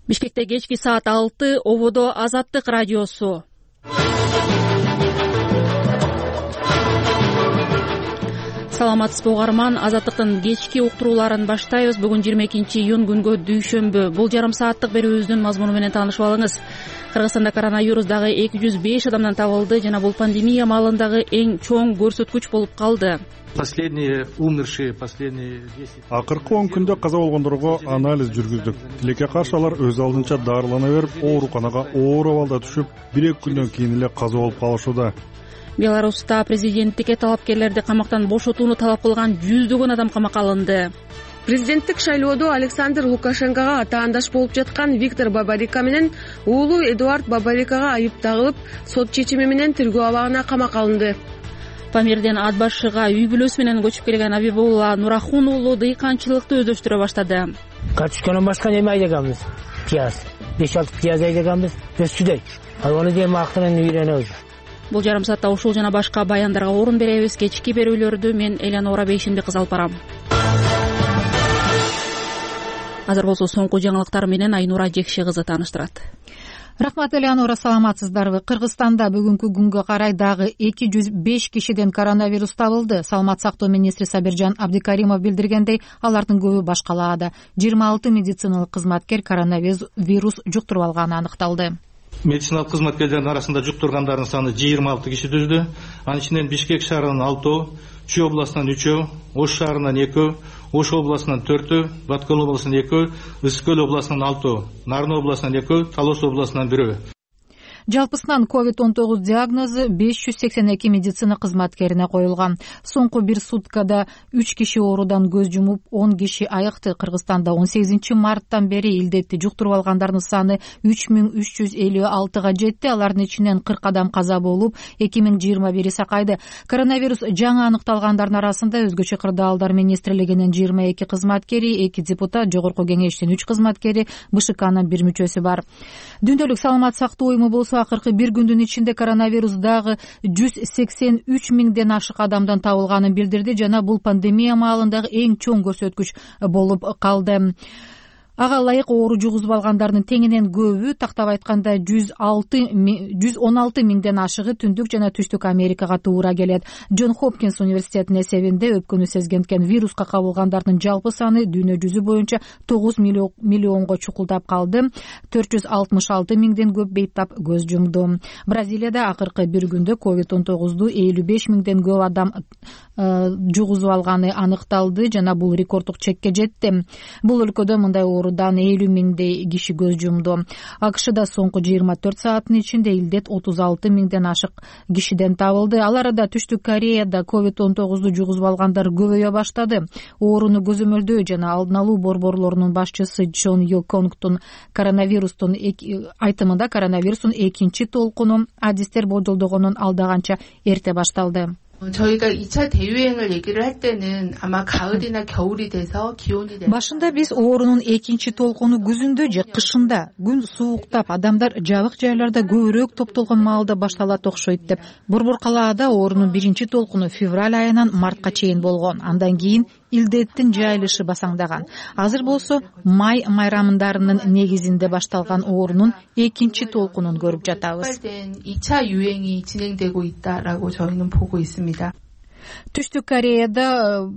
Бишкекте кечки саат 6, ободо Азаттык радиосу. Саламатсызбы угарман, Азаттыктын кечки уктурууларын баштайбыз. Бүгүн 22-июнь күнгө дүйшөмбү. Бул жарым сааттык берүүбүздүн мазмуну менен таанышып алыңыз. Кыргызстанда коронавирус дагы 205 адамдан табылды жана бул пандемия маалындагы эң чоң көрсөткүч болуп калды. Последние умершие, последние 10. Акыркы 10 күндө каза болгондорго анализ жүргүздүк. Тилекке каршы алар өз алдынча дарылана берип, ооруканага оор абалда түшүп, 1-2 күндөн кийин эле каза болуп калышууда. Беларуста президенттикке талапкерлерди камактан бошотууну талап кылган жүздөгөн адам камакка алынды. Президенттик шайлоодо Александр Лукашенкого атаандаш болуп жаткан Виктор Бабарика менен уулу Эдуард Бабарикага айып тагылып, сот чечими менен тергөө абагына камакка алынды. Памирден ат башыга үй бүлөсү менен көчүп келген Абибулла Нурахун уулу дыйканчылыкты өздөштүрө баштады. Карточкадан башка неме айдаганбыз? Пияз. 5-6 пияз айдаганбыз. Өскүдөй. Аны дем актынан үйрөнөбүз. Бул жарым саатта ушул жана башка баяндарга орун беребиз. Кечки берүүлөрдү мен Элянора Бейшимди кыз алып барам. Азыр болсо соңку жаңылыктар менен Айнура Жекши кызы тааныштырат. Рахмат, Элянора, саламатсыздарбы? Кыргызстанда бүгүнкү күнгө карай дагы 205 кишиден коронавирус табылды. Саламат сактоо министри Сабиржан Абдикаримов билдиргендей, алардын көбү баш калаада. 26 медициналык кызматкер коронавирус жуктуруп алганы аныкталды. Медициналык кызматкерлердин арасында жуктургандардын саны 26 киши түздү. Анын ичинен Бишкек шаарынан 6, Чүй областынан 3, Ош шаарынан 2, Ош областынан 4, Баткөл областынан 2, Ысык-Көл областынан 6, Нарын областынан 2, Талас областынан 1. Жалпысынан COVID-19 диагнозу 582 медицина кызматкерине коюлган. Соңку бир суткада 3 киши оорудан көз жумуп, 10 киши айыкты. Кыргызстанда 18 марттан бери илдетти жуктуруп алгандардын саны 3356га жетти. Алардын ичинен 40 адам каза болуп, 2021 сакайды. Коронавирус жаңы аныкталгандардын арасында өзгөчө кырдаалдар министрлигинин 22 кызматкери, 2 депутат, жогорку кеңештин 3 кызматкери, БШКнын 1 мүчөсү бар. Дүндөлүк саламат сактоо уюму болсо акыркы бир күндүн ичинде коронавирус дагы 183 миңден ашык адамдан табылганын билдирди жана бул пандемия маалындагы эң чоң көрсөткүч болуп калды. Ага ылайык оору жугузуп алгандардын теңинен көбү, тактап айтканда 116 миңден ашыгы Түндүк жана Түштүк Америкага туура келет. Джон Хопкинс университетинин эсебинде өпкөнү сезгенткен вируска кабылгандардын жалпы саны дүйнө жүзү боюнча 9 миллионго чукулдап калды. 466 миңден көп бейтап көз жумду. Бразилияда акыркы бир күндө COVID-19 55 миңден көп адам жугузуп алганы аныкталды жана бул рекорддук чекке жетти. Бул өлкөдө мындай оорудан 50 миңдей киши көз жумду. АКШда соңку 24 сааттын ичинде илдет 36 миңден ашык кишиден табылды. Ал арада Түштүк Кореяда COVID-19 жугузуп алгандар көбөйө баштады. Ооруну көзөмөлдөө жана алдын алуу борборлорунун башчысы Чон Ю Конгтун коронавирустун айтымында коронавирустун экинчи толкуну адистер болжолдогонун алдаганча эрте башталды. 저희가 2차 대유행을 얘기를 할 때는 아마 가을이나 겨울이 돼서 기온이 Башында биз оорунун экинчи толкуну күзүндө же кышында, күн сууктап, адамдар жабык жайларда көбүрөөк топтолгон маалда башталат окшойт деп. Борбор калаада оорунун биринчи толкуну февраль айынан мартка чейин болгон. Андан кийин илдеттин жайылышы басаңдаган. Азыр болсо май майрамындарынын негизинде башталган оорунун экинчи толкунун көрүп жатабыз. 2차 유행이 진행되고 있다라고 저희는 보고 있습니다. Түштүк Кореяда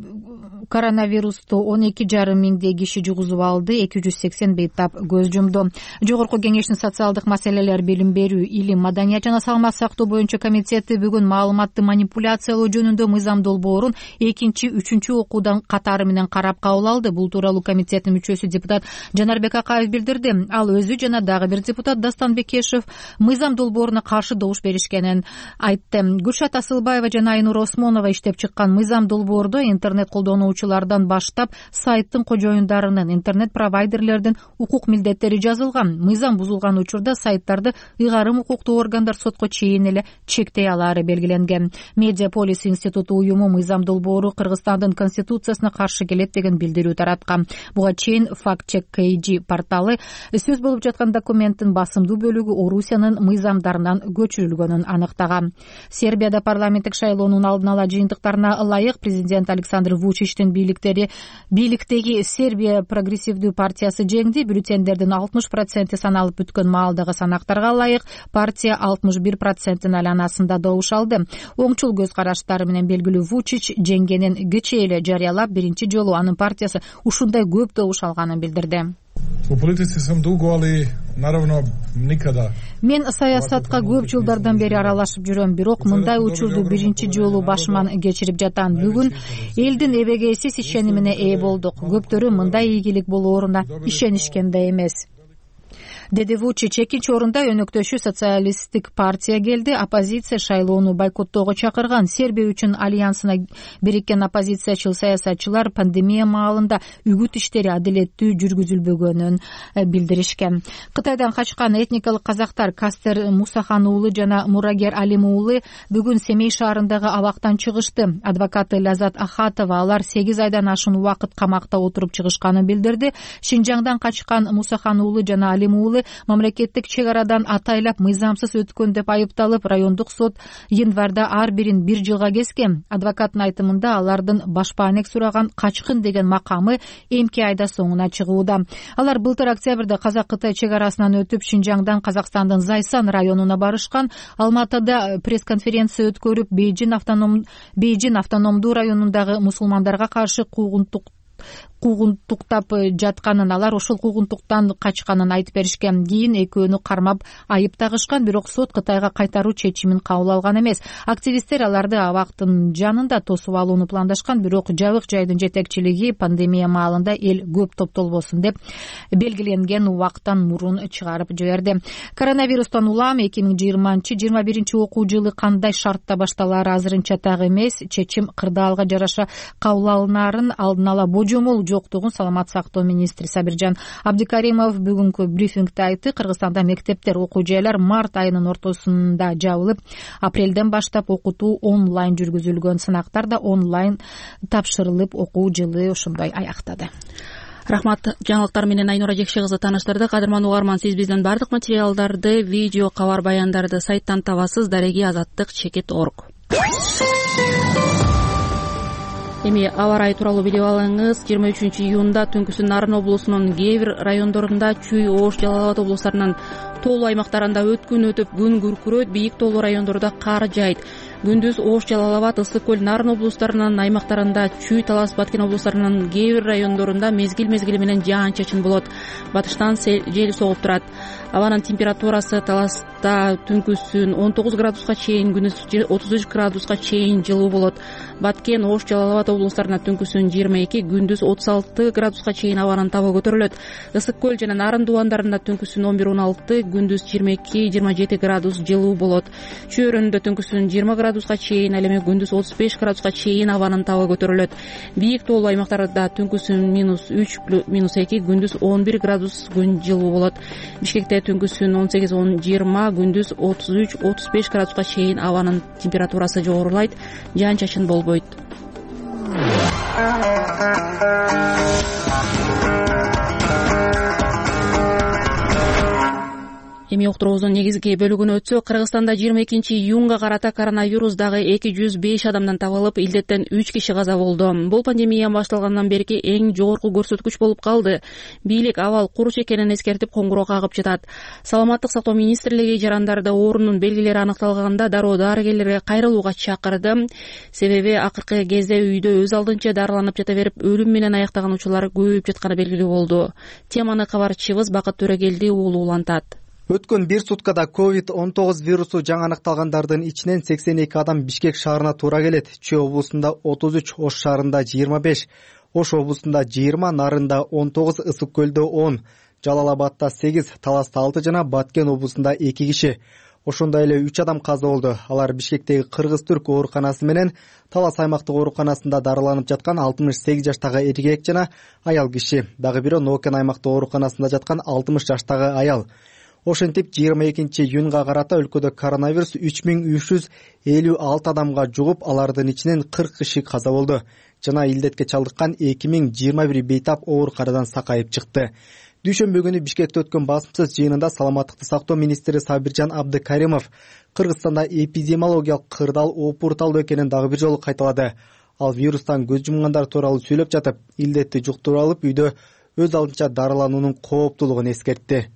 коронавирусту 12,5 миңдей киши жугузуп алды, 280 бейтап көз жумду. Жогорку кеңештин социалдык маселелер, билим берүү, илим, маданият жана саламат сактоо боюнча комитети бүгүн маалыматты манипуляциялоо жөнүндө мыйзам долбоорун 2-3 окуудан катары менен карап кабыл алды. Бул тууралуу комитеттин мүчөсү депутат Жанарбек Акаев билдирди. Ал өзү жана дагы бир депутат Дастан Бекешев мыйзам долбооруна каршы добуш беришкенин айтты. Гүлшат Асылбаева жана Айнура Осмонова иштеп чыккан мыйзам долбоордо интернет колдонуучулардан баштап сайттын кожоюндарынын, интернет провайдерлердин укук милдеттери жазылган. Мыйзам бузулган учурда сайттарды ыйгарым укуктуу органдар сотко чейин эле чектей алаары белгиленген. Медиаполис институту уюму мыйзам долбоору Кыргызстандын конституциясына каршы келет деген билдирүү тараткан. Буга чейин Fact-Check KG порталы сөз болуп жаткан документтин басымдуу бөлүгү Орусиянын мыйзамдарынан көчүрүлгөнүн аныктаган. Сербияда парламенттик шайлоонун алдын ала жыйынтыктарына ылайык президент Александр Вучичтин бийликтеги Сербия прогрессивдүү партиясы жеңди. Бюллетендердин 60% саналып бүткөн маалдагы санактарга ылайык партия 61%-ын айланасында добуш алды. Оңчул көз караштары менен белгилүү Вучич жеңгенин кечээ эле жарыялап, биринчи жолу анын партиясы ушундай көп добуш алганын билдирди. У политиci sam dugo, ali naravno nikada. Мен саясатка көп жылдардан бери аралашып жүрөм, бирок мындай учурду биринчи жолу башыман кечирип жатам. Бүгүн элдин эбегейсиз ишенимине ээ болдук. Көптөрү мындай ийгилик болооруна ишенишкен да эмес, деди Вучич. Экинчи орунда өнөктөшү социалисттик партия келди. Оппозиция шайлоону бойкоттоого чакырган. Сербия үчүн альянсына бириккен оппозициячыл саясатчылар пандемия маалында үгүт иштери адилеттүү жүргүзүлбөгөнүн билдиришкен. Кытайдан качкан этникалык казактар Кастер Мусахан уулу жана Мурагер Алим уулу бүгүн Семей шаарындагы абактан чыгышты. Адвокаты Лазат Ахатова алар 8 айдан ашуун убакыт камакта отуруп чыгышканын билдирди. Шинжаңдан качкан Мусахан уулу жана Алим уулу мамлекеттик чек арадан атайлап мыйзамсыз өткөн деп айыпталып, райондук сот январда ар бирин 1 жылга кескен. Адвокаттын айтымында алардын башпаанек сураган качкын деген макамы эмки айда соңуна чыгууда. Алар былтыр октябрда Казак-Кытай чек арасынан өтүп, Шинжаңдан Казакстандын Зайсан районуна барышкан. Алматыда пресс-конференция өткөрүп, Бейжин автономдуу районундагы мусулмандарга каршы куугунтуктап жатканын, алар ошол куугунтуктан качканын айтып беришкен. Кийин экөөнү кармап айып тагышкан, бирок сот Кытайга кайтаруу чечимин кабыл алган эмес. Активисттер аларды абактын жанында тосуп алууну пландашкан, бирок жабык жайдын жетекчилиги пандемия маалында эл көп топтолбосун деп белгиленген убакыттан мурун чыгарып жиберди. Коронавирустан улам 2020-21 окуу жылы кандай шартта башталаары азырынча так эмес. Чечим кырдаалга жараша кабыл алынаарын алдын ала божомол жоктугун саламат сактоо министри Сабиржан Абдикаримов бүгүнкү брифингде айтты. Кыргызстанда мектептер, окуу жайлар март айынын ортосунда жабылып, апрелден баштап окутуу онлайн жүргүзүлгөн. Сынактар да онлайн тапшырылып, окуу жылы ошондой аяктады. Рахмат. Жаңылыктар менен Айнура Жекше кызы тааныштырды. Кадырман угарман, сиз бизден бардык материалдарды, видео, кабар баяндарды сайттан табасыз. Дареги Азаттык.org. Эми аба ырайы тууралуу билип алыңыз. 23-июнда түнкүсүн Нарын облусунун кээ бир райондорунда, Чүй, Ош, Жалал Абад облустарынын тоолуу аймактарында өткүн өтүп, күн күркүрөйт, бийик тоолуу райондордо кар жаайт. Күндүз Ош, Жалал Абад, Ысык көл, Нарын облустарынын аймактарында, Чүй, Талас, Баткен облустарынын кээ бир райондорунда мезгил менен жаан-чачын болот. Батыштан жел согуп турат. Абанын температурасы Таласта түнкүсүн 19 градуска чейин, күндүз 33 градуска чейин жылуу болот. Баткен, Ош, Жалал Абад облустарына түнкүсүн 22, күндүз 36 градуска чейин абанын табы көтөрүлөт. Ысык көл жана Нарын дубандарында түнкүсүн 11-16, күндүз 22-27 градус жылуу болот. Чөйрөндө түнкүсүн 20 градуска чейин, ал эми күндүз 35 градуска чейин абанын табы көтөрүлөт. Бийик тоолуу аймактарда түнкүсүн -3, -2, күндүз 11 градус күн жылуу болот. Бишкекте түнкүсүн 18-20, күндүз 33-35 градуска чейин абанын температурасы жогорулайт, жаан-чачын болбойт. Эми уктуруубуздун негизги бөлүгүнө өтсөк, Кыргызстанда 22-июнга карата коронавирус дагы 205 адамдан табылып, илдеттен 3 киши каза болду. Бул пандемия башталгандан берки эң жогорку көрсөткүч болуп калды. Бийлик абал куруч экенин эскертип коңгуроо кагып жатат. Саламаттык сактоо министрлиги жарандарда оорунун белгилери аныкталганда дароо дарыгерлерге кайрылууга чакырды. Себеби акыркы кезде үйдө өз алдынча дарыланып жата берип, өлүм менен аяктаган учурлар көбөйүп жатканы белгилүү болду. Теманы кабарчыбыз Бакыт Төрөгелди уулу улантат. Өткөн 1 суткада COVID-19 вирусу жаңы аныкталгандардын ичинен 82 адам Бишкек шаарына туура келет. Чүй облусунда 33, Ош шаарында 25, Ош облусунда 20, Нарында 19, Ысык көлдө 10, Жалал Абадта 8, Таласта 6 жана Баткен облусунда 2 киши. Ошондой эле 3 адам каза болду. Алар Бишкектеги Кыргыз-Түрк ооруканасы менен Талас аймактык ооруканасында дарыланып жаткан 68 жаштагы эркек жана аял киши. Дагы бирөө Нокен аймактык ооруканасында жаткан 60 жаштагы аял. Ошентип 22-июнга карата өлкөдө коронавирус 3356 адамга жугуп, алардын ичинен 40 киши каза болду жана илдетке чалдыккан 2021 бейтап оор карадан сакайып чыкты. Дүйшөмбү күнү Бишкекте өткөн басымсыз жыйынында саламаттыкты сактоо министри Сабиржан Абдыкаримов Кыргызстанда эпидемиологиялык кырдаал опурталдуу экенин дагы бир жолу кайталады. Ал вирустан көз жумгандар тууралуу сүйлөп жатып, илдетти жуктуруп алып үйдө өз алдынча дарылануунун кооптуулугун эскертти.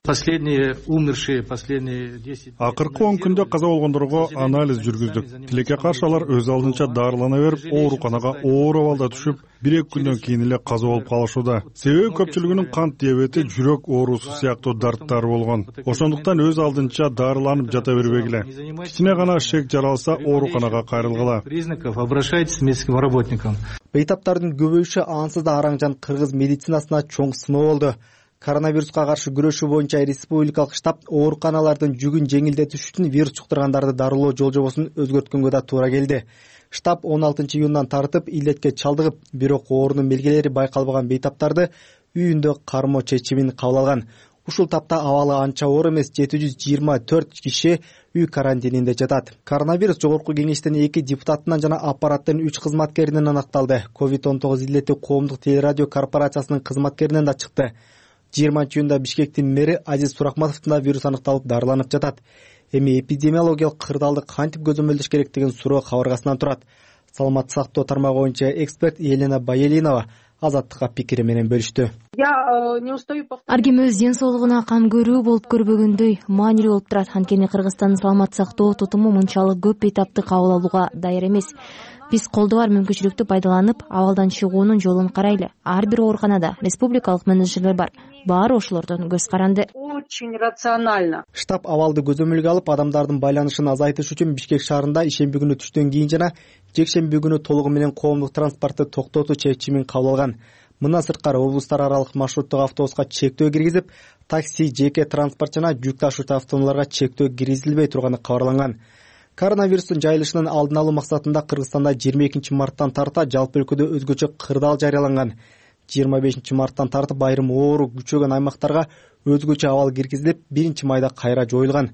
Акыркы 10 күндө каза болгондорго анализ жүргүздүк. Тилекке каршы алар өз алдынча дарылана берип, ооруканага оор абалда түшүп, 1-2 күндөн кийин эле каза болуп калышууда. Себеби көпчүлүгүнүн кант диабети, жүрөк оорусу сыяктуу дарттары болгон. Ошондуктан өз алдынча дарыланып жата бербегиле. Кичине гана шек жаралса, ооруканага кайрылгыла. Бейтаптардын көбөйүшү ансыз да Араң-Жан кыргыз медицинасына чоң сыноо болду. Коронавируска каршы күрөшүү боюнча республикалык штаб ооруканалардын жүгүн жеңилдетиш үчүн вирус жуктургандарды дарылоо жолжобосун өзгөрткөнгө да туура келди. Штаб 16 июндан тартып илдетке чалдыгып, бирок оорунун белгилери байкалбаган бейтаптарды үйүндө кармоо чечимин кабыл алган. Ушул тапта абалы анча оор эмес 724 киши үй карантининде жатат. Коронавирус жогорку кеңештин 2 депутатынан жана аппараттын 3 кызматкеринен анықталды. COVID-19 илдети коомдук телерадио корпорациясынын кызматкеринен да чыкты. 20-июнда Бишкектин мэри Азиз Сурахматовдун да вирус аныкталып дарыланып жатат. Эми эпидемиологиялык кырдаалды кантип көзөмөлдөш керек деген суроо кабыргасынан турат. Саламаттык сактоо тармагы боюнча эксперт Елена Байелинова Азаттыкка пикири менен бөлүштү. Ар ким өз ден соолугуна кам көрүү болуп көрбөгөндөй маанилүү болуп турат. Анткени Кыргызстандын саламаттык сактоо тутуму мынчалык көп бейтапты кабыл алууга даяр эмес. Биз колдо бар мүмкүнчүлүктү пайдаланып, абалдан чыгуунун жолун карайлы. Ар бир ооруканада республикалык менеджерлер бар. Баары ошолордон көз каранды. Очень рационально. Штаб абалды көзөмөлгө алып, адамдардын байланышын азайтыш үчүн Бишкек шаарында ишемби күнү түштөн кийин жана жекшемби күнү толугу менен коомдук транспортду токтотуу чечимин кабыл алган. Мындан сырткары облустар аралык маршруттук автобуска чектөө киргизип, такси, жеке транспорт жана жүк ташуучу автоунааларга чектөө киргизилбей турганы кабарланган. Коронавирустун жайылышынын алдын алуу максатында Кыргызстанда 22 марттан тарта жалпы өлкөдө өзгөчө кырдаал жарыяланган. 25 марттан тартып айрым оору күчөгөн аймактарга өзгөчө абал киргизилип, 1-майда кайра жоюлган.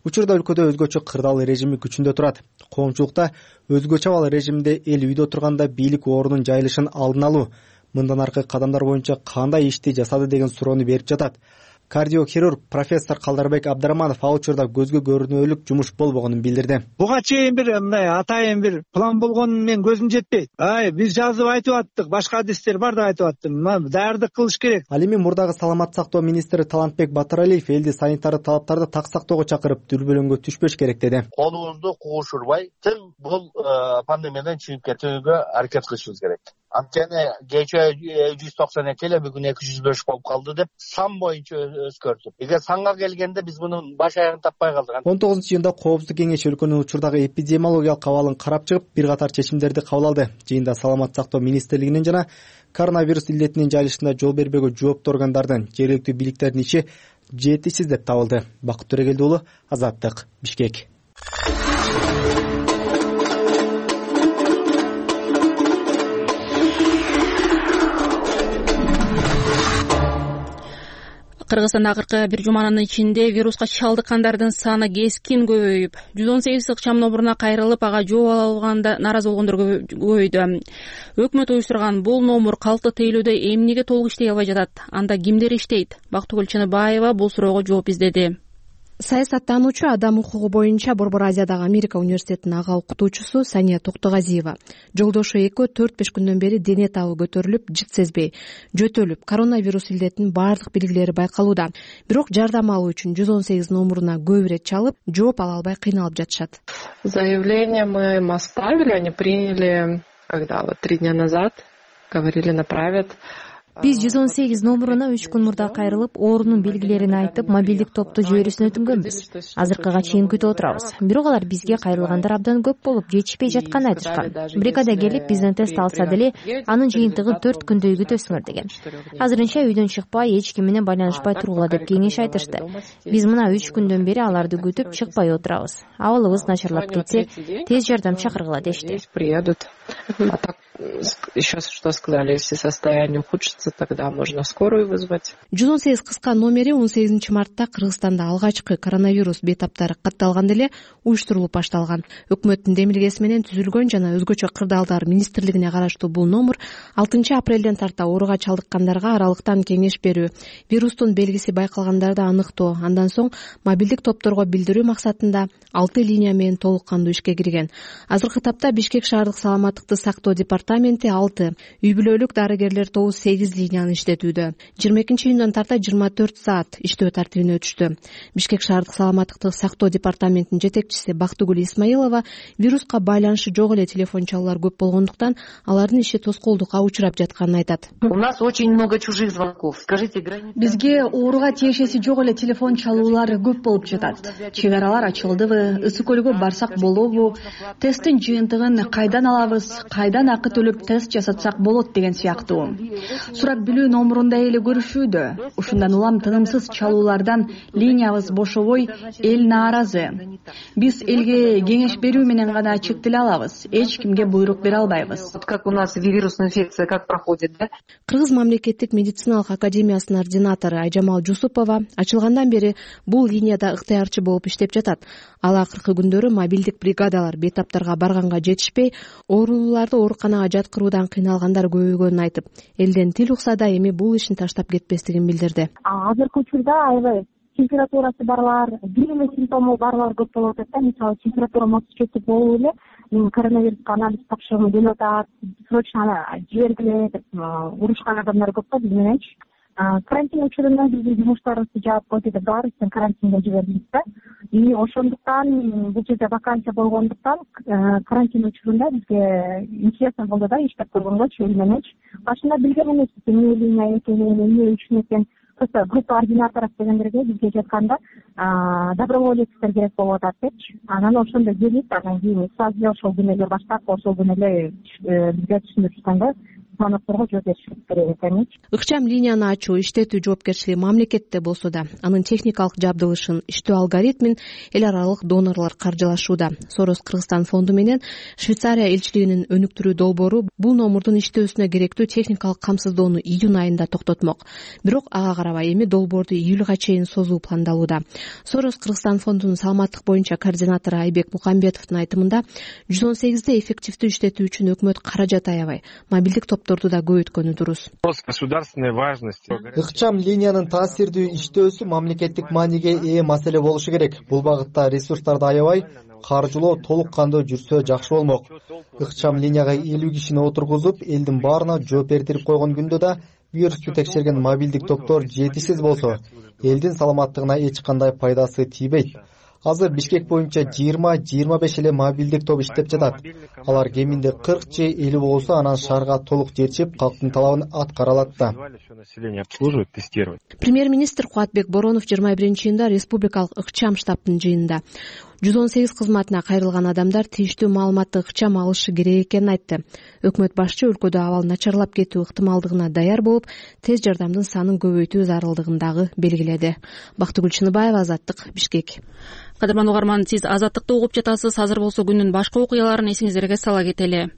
Учурда өлкөдө өзгөчө кырдаал режими күчүндө турат. Коомчулукта өзгөчө абал режиминде эл үйдө турганда бийлик оорунун жайылышын алдын алуу, мындан аркы кадамдар боюнча кандай ишти жасады деген суроону берип жатат. Кардиохирург профессор Калдарбек Абдрахманов ал учурда көзгө көрүнөлүк жумуш болбогонун билдирди. Буга чейин бир мындай атайын бир план болгонун мен көзүм жетпейт. Биз жазып айтып аттык, башка адистер бар да айтып аттым. Даярдык кылыш керек. Ал эми мурдагы саламаттык сактоо министри Талантбек Батыралиев элди санитардык талаптарды так сактоого чакырып, дүрбөлөңгө түшпөш керек деди. Колубузду куушурбай, тим бул пандемиядан чыгып кетүүгө аракет кылышыбыз керек. Анткени кечээ 192 эле бүгүн 205 болуп калды деп сан боюнча өзгөрдү. Эгер санга келгенде биз мунун баш аягын таппай калдык. 19-июнда Коопсуздук кеңеши өлкөнүн учурдагы эпидемиологиялык абалын карап чыгып, бир катар чечимдерди кабыл алды. Жыйында саламаттык сактоо министрлигинин жана коронавирус илдетинин жайылышына жол бербөөгө жооптуу органдардын, жергиликтүү бийликтердин иши жетишсиз деп табылды. Бакыт Төрегелди уулу, Азаттык, Бишкек. Кыргызстанда акыркы бир жуманын ичинде вируска чалдыккандардын саны кескин көбөйүп, 118 ыкчам номуруна кайрылып, ага жооп ала алганда нааразы болгондор көбөйдү. Өкмөт уюштурган бул номур калкты тейлөөдө эмнеге толук иштей албай жатат? Анда кимдер иштейт? Бактыгүл Чыныбаева бул суроого жооп издеди. Саясаттануучу, адам укугу боюнча Борбор Азиядагы Америка университетинин ага окутуучусу Сания Токтогазиева жолдошу экөө 4-5 күндөн бери дене табы көтөрүлүп, жыт сезбей, жөтөлүп, коронавирус илдетинин баардык белгилери байкалууда. Бирок жардам алуу үчүн 118 номуруна көп ирет чалып, жооп ала албай кыйналып жатышат. Заявление мы им оставили, они приняли, когда 3 дня назад, говорили, направят. Биз 118 номуруна 3 күн мурда кайрылып, оорунун белгилерин айтып, мобилдик топту жиберүүсүн өтүнгөнбүз. Азыркыга чейин күтүп отурабыз. Бирок алар бизге кайрылгандар абдан көп болуп, жетишпей жатканын айтышкан. Бригада келип, бизден тест алса деле, анын жыйынтыгын 4 күндөй күтөсүңөр деген. Азырынча үйдөн чыкпай, эч ким менен байланышпай тургула деп кеңеш айтышты. Биз мына 3 күндөн бери аларды күтүп чыкпай отурабыз. Абалыбыз начарлап кетсе, тез жардам чакыргыла дешти. Приедут. А так, еще что сказали, если состояние ухудшится, случится, тогда можно скорую вызвать. 118 кыска номери 18 мартта Кыргызстанда алгачкы коронавирус бейтаптары катталганда эле уюштурулуп башталган. Өкмөттүн демилгеси менен түзүлгөн жана өзгөчө кырдаалдар министрлигине караштуу бул номер 6 апрелден тарта ооруга чалдыккандарга аралыктан кеңеш берүү, вирустун белгиси байкалгандарды аныктоо, андан соң мобилдик топторго билдирүү максатында 6 линия менен толук кандуу ишке кирген. Азыркы тапта Бишкек шаардык саламаттыкты сактоо департаменти 6, үй бүлөлүк дарыгерлер тобу 8 линияны иштетүүдө. 22-июндан тарта 24 саат иштөө тартибине өтүштү. Бишкек шаардык саламаттыкты сактоо департаментинин жетекчиси Бактыгүл Исмаилова вируска байланышы жок эле телефон чалуулар көп болгондуктан алардын иши тоскоолдукка учурап жатканын айтат. У нас очень много чужих звонков. Скажите, бизге ооруга тиешеси жок эле телефон чалуулар көп болуп жатат. Чек аралар ачылдыбы, ысык көлгө барсак болобу, тесттин жыйынтыгын кайдан алабыз, кайдан акы төлөп тест жасатсак болот деген сыяктуу. Сурап билүү номурунда эле көрүшүүдө. Ушундан улам тынымсыз чалуулардан линиябыз бошобой, эл нааразы. Биз элге кеңеш берүү менен гана чектеле алабыз. Эч кимге буйрук бере албайбыз. Как у нас вирусная инфекция как проходит, да? Кыргыз мамлекеттик медициналык академиясынын ординатору Айжамал Жусупова ачылгандан бери бул линияда ыктыярчы болуп иштеп жатат. Ал акыркы күндөрү мобилдик бригадалар бейтаптарга барганга жетишпей, оорулууларды ооруканага жаткыруудан кыйналгандар көбөйгөнүн айтып, элден тил укса да эми бул ишин таштап кетпестигин билдирди. Азыркы учурда аябай температурасы барлар, бир эле симптому барлар көп болуп атат да. Мисалы, температурам 34 болуп эле мен коронавируска анализ тапшыргым келип атат, срочно жибергиле деп урушкан адамдар көп да биз мененчи. Карантин учурунда биздин жумуштарыбызды жаап койду деп баарыбызды карантинге жибердик да. И ошондуктан бул жерде вакансия болгондуктан карантин учурунда бизге интересно болду да иштеп көргөнгөчү эл мененчи. Башында билген эмеспиз эмне линия экенин, эмне үчүн экен. Просто группа ординаторов дегендерге бизге жатканда доброволецтер керек болуп атат депчи. Анан ошондо келип, анан кийин сразу эле ошол күнү эле баштап, ошол күнү эле бизге түшүндүрүшкөндө звонокторго жооп беришибиз керек экеничи. Ыкчам линияны ачуу, иштетүү жоопкерчилиги мамлекетте болсо да, анын техникалык жабдылышын, иштөө алгоритмин эл аралык донорлор каржылашууда. Сорос Кыргызстан фонду менен Швейцария элчилигинин өнүктүрүү долбоору бул номурдун иштөөсүнө керектүү техникалык камсыздоону июнь айында токтотмок. Бирок ага карабай эми долбоорду июлга чейин созуу пландалууда. Сорос Кыргызстан фондунун саламаттык боюнча координатору Айбек Мукамбетовдун айтымында 118-де эффективдүү иштетүү үчүн өкмөт каражат аябай, мобилдик топторду да көбөйткөнү дурус. Ыкчам линиянын таасирдүү иштөөсү мамлекеттик мааниге ээ маселе болушу керек. Бул багытта ресурстарды аябай, каржылоо толук кандуу жүрсө жакшы болмок. Ыкчам линияга 50 кишини отургузуп, элдин баарына жооп бердирип койгон күндө да вирусту текшерген мобилдик топтор жетишсиз болсо, элдин саламаттыгына эч кандай пайдасы тийбейт. Азыр Бишкек боюнча 20-25 эле мобилдик топ иштеп жатат. Алар кеминде 40 же 50 болсо, анан шаарга толук жетишип, калктын талабын аткара алат да. Премьер-министр Кубатбек Боронов 21-июнда республикалык ыкчам штабтын жыйынында 118 кызматына кайрылган адамдар тийиштүү маалыматты ыкчам алышы керек экенин айтты. Өкмөт башчы өлкөдө абал начарлап кетүү ыктымалдыгына даяр болуп, тез жардамдын санын көбөйтүү зарылдыгын дагы белгиледи. Бактыгүл Чыныбаева, Азаттык, Бишкек. Кадырман угарман, сиз Азаттыкты угуп жатасыз. Азыр болсо күндүн башка окуяларын эсиңиздерге сала кетели.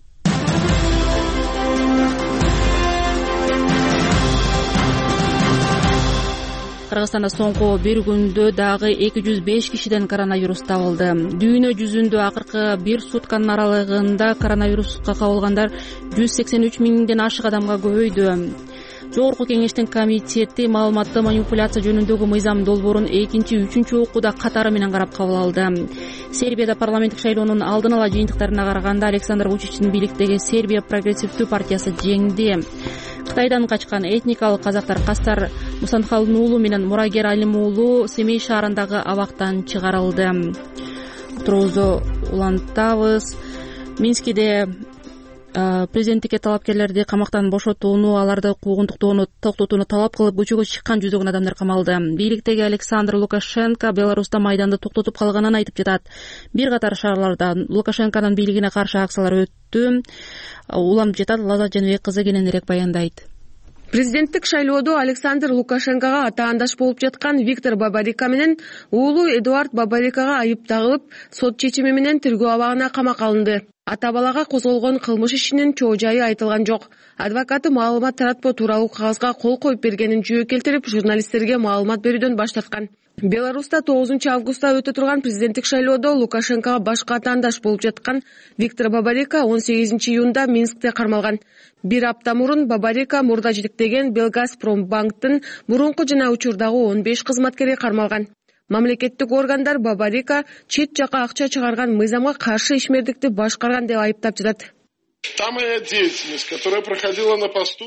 Кыргызстанда соңку бир күндө дагы 205 кишиден коронавирус табылды. Дүйнө жүзүндө акыркы бир сутканын аралыгында коронавируска кабылгандар 183 миңден ашык адамга көбөйдү. Жогорку кеңештин комитети маалыматты манипуляция жөнүндөгү мыйзам долбоорун 2-3 окууда катары менен карап кабыл алды. Сербияда парламенттик шайлоонун алдын ала жыйынтыктарына караганда Александр Вучичтин бийликтеги Сербия прогрессивдүү партиясы жеңди. Кытайдан качкан этникалык казактар Кастар Мусанхалдын уулу менен Мурагер Алим уулу Семей шаарындагы абактан чыгарылды. Турубузду улантабыз. Минскиде президенттикке талапкерлерди камактан бошотууну, аларды куугунтуктоону токтотууну талап кылып көчөгө чыккан жүздөгөн адамдар камалды. Бийликтеги Александр Лукашенко Беларуста майданды токтотуп калганын айтып жатат. Бир катар шаарларда Лукашенконун бийлигине каршы акциялар өттү. Уланып жатат Лаза Жаныбек кызы кененирээк баяндайт. Президенттик шайлоодо Александр Лукашенкого атаандаш болуп жаткан Виктор Бабарика менен уулу Эдуард Бабарикага айып тагылып, сот чечими менен тергөө абагына камакка алынды. Ата балага козголгон кылмыш ишинин чоо жайы айтылган жок. Адвокаты маалымат таратпоо тууралуу кагазга кол коюп бергенин жүйө келтирип, журналисттерге маалымат берүүдөн баш тарткан. Беларуста 9 августта өтө турган президенттик шайлоодо Лукашенкого башка атаандаш болуп жаткан Виктор Бабарика 18 июнда Минскте кармалган. Бир апта мурун Бабарика мурда жетектеген Белгазпромбанктын мурунку жана учурдагы 15 кызматкери кармалган. Мамлекеттик органдар Бабарика чет жака акча чыгарган мыйзамга каршы ишмердикти башкарган деп айыптап жатат. Та моя деятельность, которая проходила на посту.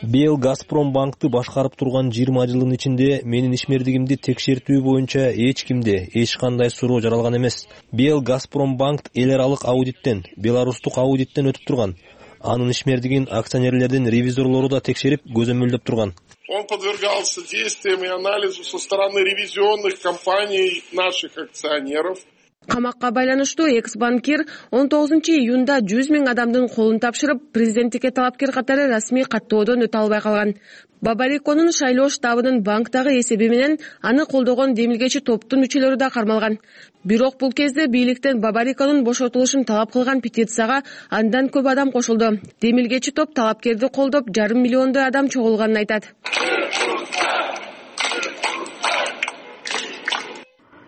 Белгазпромбанкты башкарып турган 20 жылдын ичинде менин ишмердигимди текшертүү боюнча эч кимде эч кандай суроо жаралган эмес. Белгазпромбанк эл аралык аудиттен, беларустук аудиттен өтүп турган. Анын ишмердигин акционерлердин ревизорлору да текшерип, көзөмөлдөп турган. Он подвергался действиям и анализу со стороны ревизионных компаний наших акционеров. Камакка байланыштуу экс-банкир 19 июнда 100 000 адамдын колун тапшырып, президенттикке талапкер катары расмий каттоодон өтө албай калган. Бабариконун шайлоо штабынын банктагы эсеби менен аны колдогон демилгечи топтун мүчөлөрү да кармалган. Бирок бул кезде бийликтен Бабариконун бошотулушун талап кылган петицияга андан көп адам кошулду. Демилгечи топ талапкерди колдоп, 500 000 адам чогулганын айтат.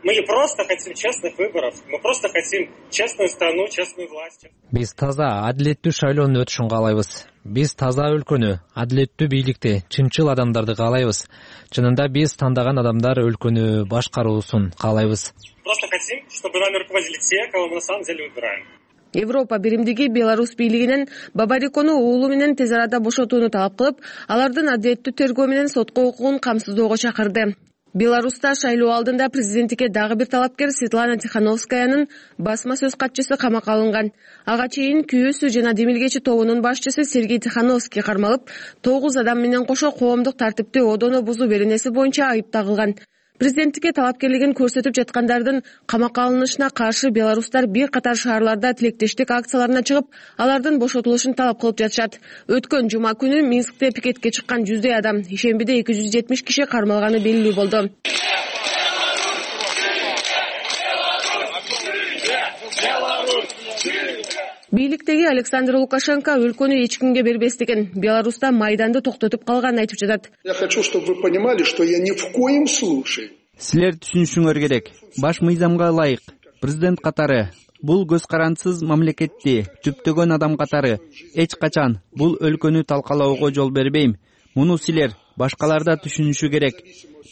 Мы не просто хотим честных выборов, мы просто хотим честную страну, честную власть. Биз таза, адилеттүү шайлоонун өтүшүн каалайбыз. Биз таза өлкөнү, адилеттүү бийликти, чынчыл адамдарды каалайбыз. Чынында биз тандаган адамдар өлкөнү башкаруусун каалайбыз. Просто хотим, чтобы нами руководили те, кого мы на самом деле выбираем. Европа биримдиги Беларусь бийлигинен Бабарикону уулу менен тез арада бошотууну талап кылып, алардын адилеттүү тергөө менен сотко укугун камсыздоого чакырды. Беларуста шайлоо алдында президенттикке дагы бир талапкер Светлана Тихановскаянын басма сөз катчысы камакка алынган. Ага чейин күйөөсү жана демилгечи тобунун башчысы Сергей Тихановский кармалып, 9 адам менен кошо коомдук тартипти одоно бузуу беренеси боюнча айып тагылган. Президенттикке талапкерлигин көрсөтүп жаткандардын камакка алынышына каршы беларустар бир катар шаарларда тилектештик акцияларына чыгып, алардын бошотулушун талап кылып жатышат. Өткөн жума күнү Минскте пикетке чыккан 100 адам, ишембиде 270 киши кармалганы белгилүү болду. Бийликтеги Александр Лукашенко өлкөнү эч кимге бербестигин, Беларуста майданды токтотуп калганын айтып жатат. Я хочу, чтобы вы понимали, что я ни в коем случае. Силер түшүнүшүңөр керек. Баш мыйзамга ылайык. Президент катары бул көз карансыз мамлекетти түптөгөн адам катары эч качан бул өлкөнү талкалоого жол бербейм. Муну силер башкалар да түшүнүшү керек.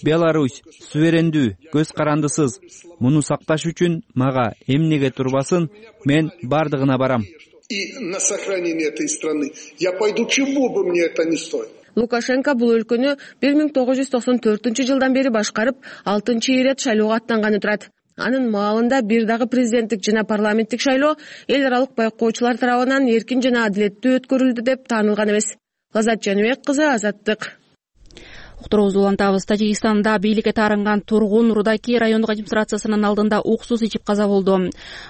Беларусь суверендүү, көз карандысыз. Муну сакташ үчүн мага эмнеге турбасын, мен бардыгына барам. И на сохранение этой страны я пойду, чего бы мне это ни стоило. Лукашенко бул өлкөнү 1994 жылдан бери башкарып, 6-ирет шайлоого аттанганы турат. Анын маалында бир дагы президенттик жана парламенттик шайлоо эл аралык байкоочулар тарабынан эркин жана адилеттүү өткөрүлдү деп таанылган эмес. Азат Жаныбек кызы, Азаттык. Уктуруубузду улантабыз. Тажикстанда бийликке таарынган тургун Рудаки райондук администрациясынын алдында уксус ичип каза болду.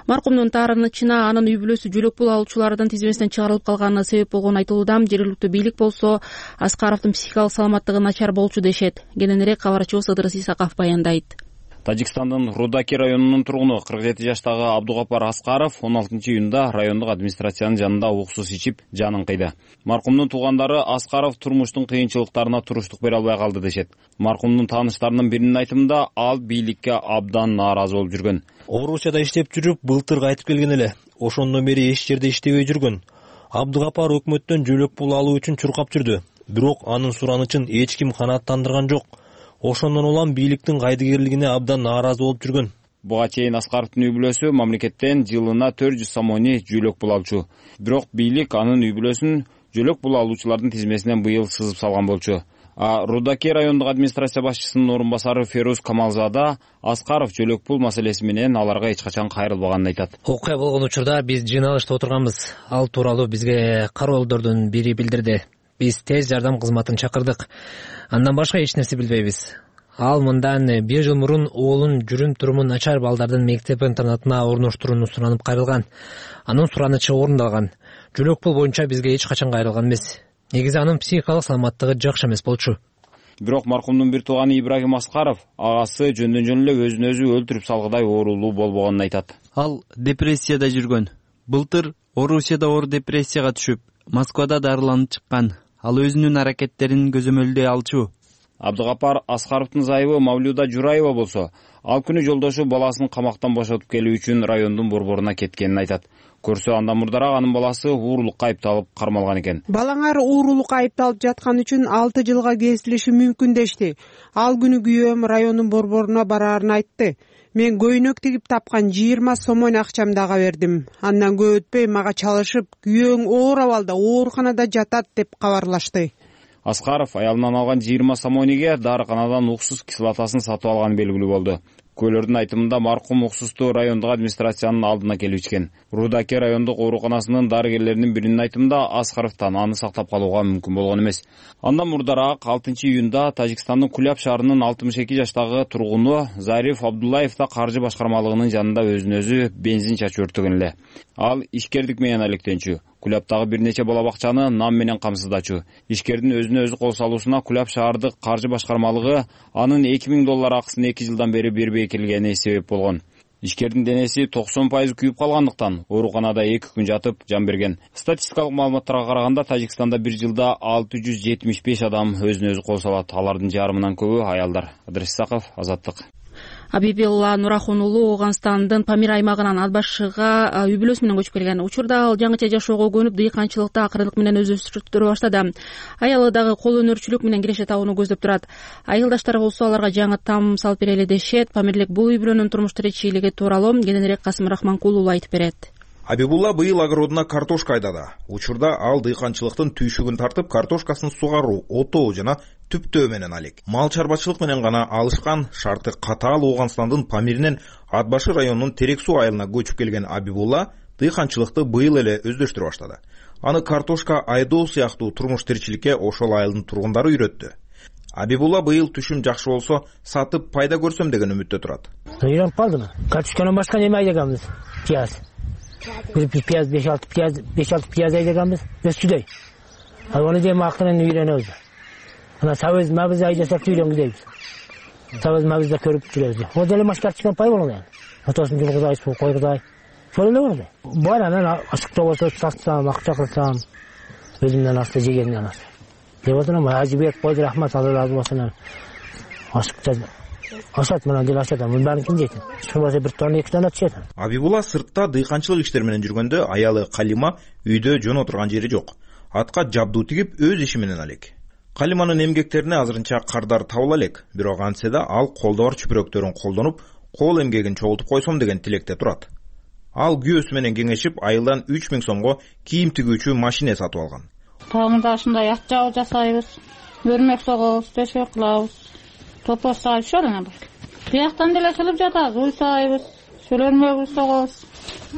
Маркумдун таарынычына анын үй бүлөсү жөлөк пул алуучулардын тизмесинен чыгарылып калганы себеп болгону айтылууда. Жергиликтүү бийлик болсо Аскаровдун психикалык саламаттыгы начар болчу дешет. Кененирээк кабарчыбыз Ыдырыс Исаков баяндайт. Тажикстандын Рудаки районунун тургуну 47 жаштагы Абдугапар Аскаров 16 июнда райондук администрациянын жанында уксус ичип жанын кыйды. Маркумдун туугандары Аскаров турмуштун кыйынчылыктарына туруштук бере албай калды дешет. Маркумдун тааныштарынын биринин айтымында ал бийликке абдан нааразы болуп жүргөн. Орусияда иштеп жүрүп, былтыр кайтып келген эле. Ошондон бери эч жерде иштебей жүргөн. Абдугапар өкмөттөн жөлөк пул алуу үчүн чуркап жүрдү. Бирок анын суранычын эч ким канааттандырган жок. Ошондон улам бийликтин кайдыгерлигине абдан нааразы болуп жүргөн. Буга чейин Аскаровдун үй бүлөсү мамлекеттен жылына 400 сомони жөлөк пул алчу. Бирок бийлик анын үй бүлөсүн жөлөк пул алуучулардын тизмесинен быйыл сызып салган болчу. Рудаки райондук администрация башчысынын орун басары Феруз Камалзада Аскаров жөлөк пул маселеси менен аларга эч качан кайрылбаганын айтат. Окуя болгон учурда биз жыйналышта отурганбыз. Ал тууралуу бизге кароолдордун бири билдирди. Биз тез жардам кызматын чакырдык. Андан башка эч нерсе билбейбиз. Ал мындан 1 жыл мурун уулун жүрүм-туруму начар балдардын мектеп-интернатына орноштурууну суранып кайрылган. Анын суранычы орундалган. Жөлөк пул боюнча бизге эч качан кайрылган эмес. негизи анын психикалык саламаттыгы жакшы эмес болчу. Бирок маркумдун бир тууганы Ибрагим Аскаров агасы жөндөн жөн эле өзүн өзү өлтүрүп салгыдай оорулуу болбогонун айтат. Ал депрессияда жүргөн. Былтыр Орусияда оор депрессияга түшүп, Москвада дарыланып чыккан. Ал өзүнүн аракеттерин көзөмөлдөй алчу. Абдыгапар Аскаровдун зайыбы Мавлюда Жураева болсо, ал күнү жолдошу баласын камактан бошотуп келүү үчүн райондун борборуна кеткенин айтат. Көрсө андан мурдараак анын баласы уурулукка айыпталып кармалган экен. Балаңар уурулукка айыпталып жаткан үчүн 6 жылга кесилиши мүмкүн дешти. Ал күнү күйөөм райондун борборуна бараарын айтты. Мен көйнөк тигип тапкан 20 сомон акчамды ага бердим. Андан көп өтпөй мага чалышып, күйөөң оор абалда ооруканада жатат деп кабарлашты. Аскаров аялынан алган 20 сомониге дарыканадан уксус кислотасын сатып алганы белгилүү болду. Көлөрдүн айтымында маркум уксусту райондук администрациянын алдына келип ичкен. Рудаки райондук ооруканасынын дарыгерлеринин биринин айтымында Аскаровдон аны сактап калууга мүмкүн болгон эмес. Андан мурдараак 6 июнда Тажикстандын Куляб шаарынын 62 жаштагы тургуну Зариф Абдуллаев да каржы башкармалыгынын жанында өзүн өзү бензин чачып өрттөгөн эле. Ал ишкердик менен алектенчү. Кулябтагы бир нече бала бакчаны нам менен камсыздачу. Ишкердин өзүнө өзү кол салуусуна Куляб шаардык каржы башкармалыгы анын $2000 акысын 2 жылдан бери бербей келгени себеп болгон. Ишкердин денеси 90% күйүп калгандыктан ооруканада 2 күн жатып жан берген. Статистикалык маалыматтарга караганда Тажикстанда бир жылда 675 адам өзүнө өзү кол салат. Алардын жарымынан көбү аялдар. Адрес Исаков, Азаттык. Абибилла Нурахун уулу Ооганстандын Памир аймагынан Атбашыга үй бүлөсү менен көчүп келген. Учурда ал жаңыча жашоого көнүп, дыйканчылыкта акырындык менен өздөштүрө баштады. Аялы дагы кол өнөрчүлүк менен киреше табууну көздөп турат. Айылдаштары болсо аларга жаңы там салып берели дешет. Памирлик бул үй бүлөнүн турмуш тиричилиги тууралуу кененирээк Касым Рахманкул уулу айтып берет. Абибулла быйыл огородуна картошка айдады. Учурда ал дыйканчылыктын түйшүгүн тартып, картошкасын сугаруу, отоо жана түптөө менен алек. Мал чарбачылык менен гана алышкан, шарты катаал Ооганстандын Памиринен Атбашы районунун Терек суу айылына көчүп келген Абибулла дыйканчылыкты быйыл эле өздөштүрө баштады. Аны картошка айдоо сыяктуу турмуш тиричиликке ошол айылдын тургундары үйрөттү. Абибулла быйыл түшүм жакшы болсо, сатып пайда көрсөм деген үмүттө турат. Үйрөнүп калдым. Картошканан башка неме айдаганбыз? Пияз. Bir piyaz 5-6 piyaz aydaganбыз. Өстүдөй. Ал аны дем актынан үйрөнөбүз. Ана сабыз мабыз айдасак үйрөнгүдөйбүз. Сабыз мабызда көрүп жүрөбүз. О деле машкартчыдан пай болот эми. Отосын жылгызай, суу койгузай. Ошол эле болду. Бар анан ашыкта болсо сатсам, акча кылсам, өзүмдөн асты жегенден ас. Деп отурам, Ажибек койду рахмат, Алла разы болсун. Ашыкта ашат менен дел ашат, мын баарын ким жейт? Шулбаса бир тонна 2 тонна түшөт. Абибулла сыртта дыйканчылык иштер менен жүргөндө аялы Калима үйдө жөн отурган жери жок. Атка жабдуу тигип өз иши менен алек. Калиманын эмгектерине азырынча кардар табыла элек, бирок антсе да ал колдо бар чүпүрөктөрүн колдонуп, кол эмгегин чогултуп койсом деген тилекте турат. Ал күйөөсү менен кеңешип, айылдан 3000 сомго кийим тигүүчү машина сатып алган. Тагында ушундай ат жабы жасайбыз, өрмөк согобуз, төшөк кылабыз. Топоз сайып шолана бар. Бияктан деле чылып жатабыз, уй сайбыз, шөлөрмөгүбүз согобуз.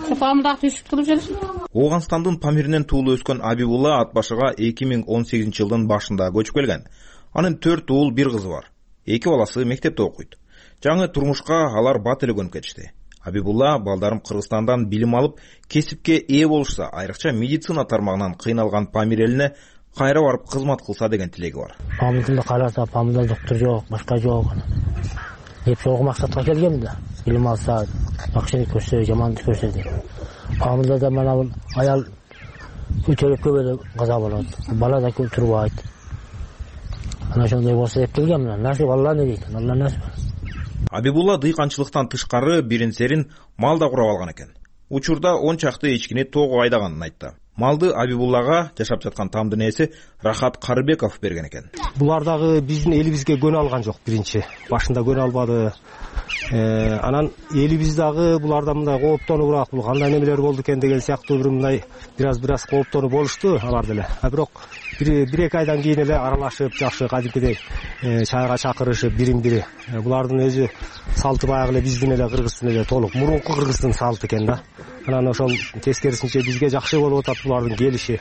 Топамда түшүп туруп жүрөбүз. Ооганстандын Памиринен туулуп өскөн Абибулла Атбашыга 2018 жылдын башында көчүп келген. Анын 4 уул, 1 кызы бар. 2 баласы мектепте окуйт. Жаңы турмушка алар бат эле көнүп кетишти. Абибулла балдарым Кыргызстандан билим алып, кесипке ээ болушса, айрыкча медицина тармагынан кыйналган Памир элине кайра барып кызмат кылса деген тилеги бар. Памирде караса, Памирде доктор жок, башка жок. Деп ошол максатка келгем да. Билим алса, акчаны көрсө, жаманды көрсө деп. Памирде да мына бул аял көтөрүп эле каза болот. Бала да турбайт. Ana ошондой болсо деп келгем. Насип Алла не дейт? Алла насип. Абибулла дыйканчылыктан тышкары бирин серин мал да курап алган экен. Учурда 10 чакты эчкини тоого айдаганын айтты. Малды Абибуллага жашап жаткан тамдын ээси Рахат Карыбеков берген экен. Булар дагы биздин элибизге көнө алган жок биринчи. Башында көнө албады. Анан элибиз дагы булардан мындай кооптонуураак, бул кандай немелер болду экен деген сыяктуу бир мындай бираз кооптонуп болушту алар деле. Бирок бир-эки айдан кийин эле аралашып, жакшы кадимкидей чайга чакырышып бирин-бири. Булардын өзү салты баягы эле биздин эле Кыргыздын эле толук мурунку Кыргыздын салты экен да. Анан ошол тескерисинче бизге жакшы болуп атат булардын келиши.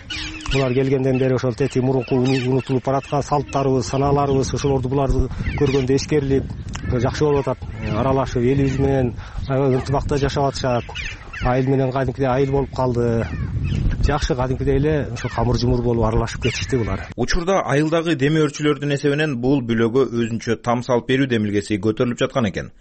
Булар келгенден бери ошол тети мурунку унутулуп бараткан салттарыбыз, санааларыбыз ошолорду буларды көргөндө эскерилип, жакшы болуп атат. Аралашып элибиз менен ынтымакта жашап атышат. Айыл менен кадимкидей айыл болуп калды. жакшы кадимкидей эле ошо камыр жумур болуп аралашып кетишти булар. Учурда айылдагы деме өрчүлөрдүн эсебинен бул бүлөгө өзүнчө там салып берүү демилгеси көтөрүлүп жаткан экен.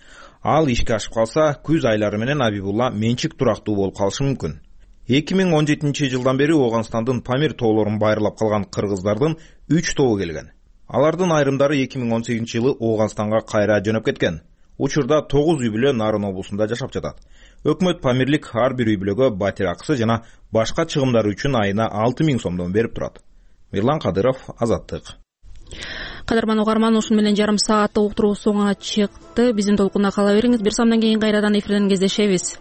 Ал ишке ашып калса, күз айлары менен Абибулла менчик турактуу болуп калышы мүмкүн. 2017 жылдан бери Ооганстандын Памир тоолорун байырлап калган кыргыздардын 3 тобу келген. Алардын айрымдары 2018 жылы Ооганстанга кайра жөнөп кеткен. Учурда 9 үй бүлө Нарын облусунда жашап жатат. Өкмөт Памирлик ар бир үй бүлөгө батир акысы жана башка чыгымдары үчүн айына 6000 сомдон берип турат. Мирлан Кадыров, Азаттык. Кадырман угарман, ушун менен жарым сааттык уктуруу соңуна чыкты. Биздин толкунда кала бериңиз. Бир самдан кийин кайрадан эфирден кездешебиз.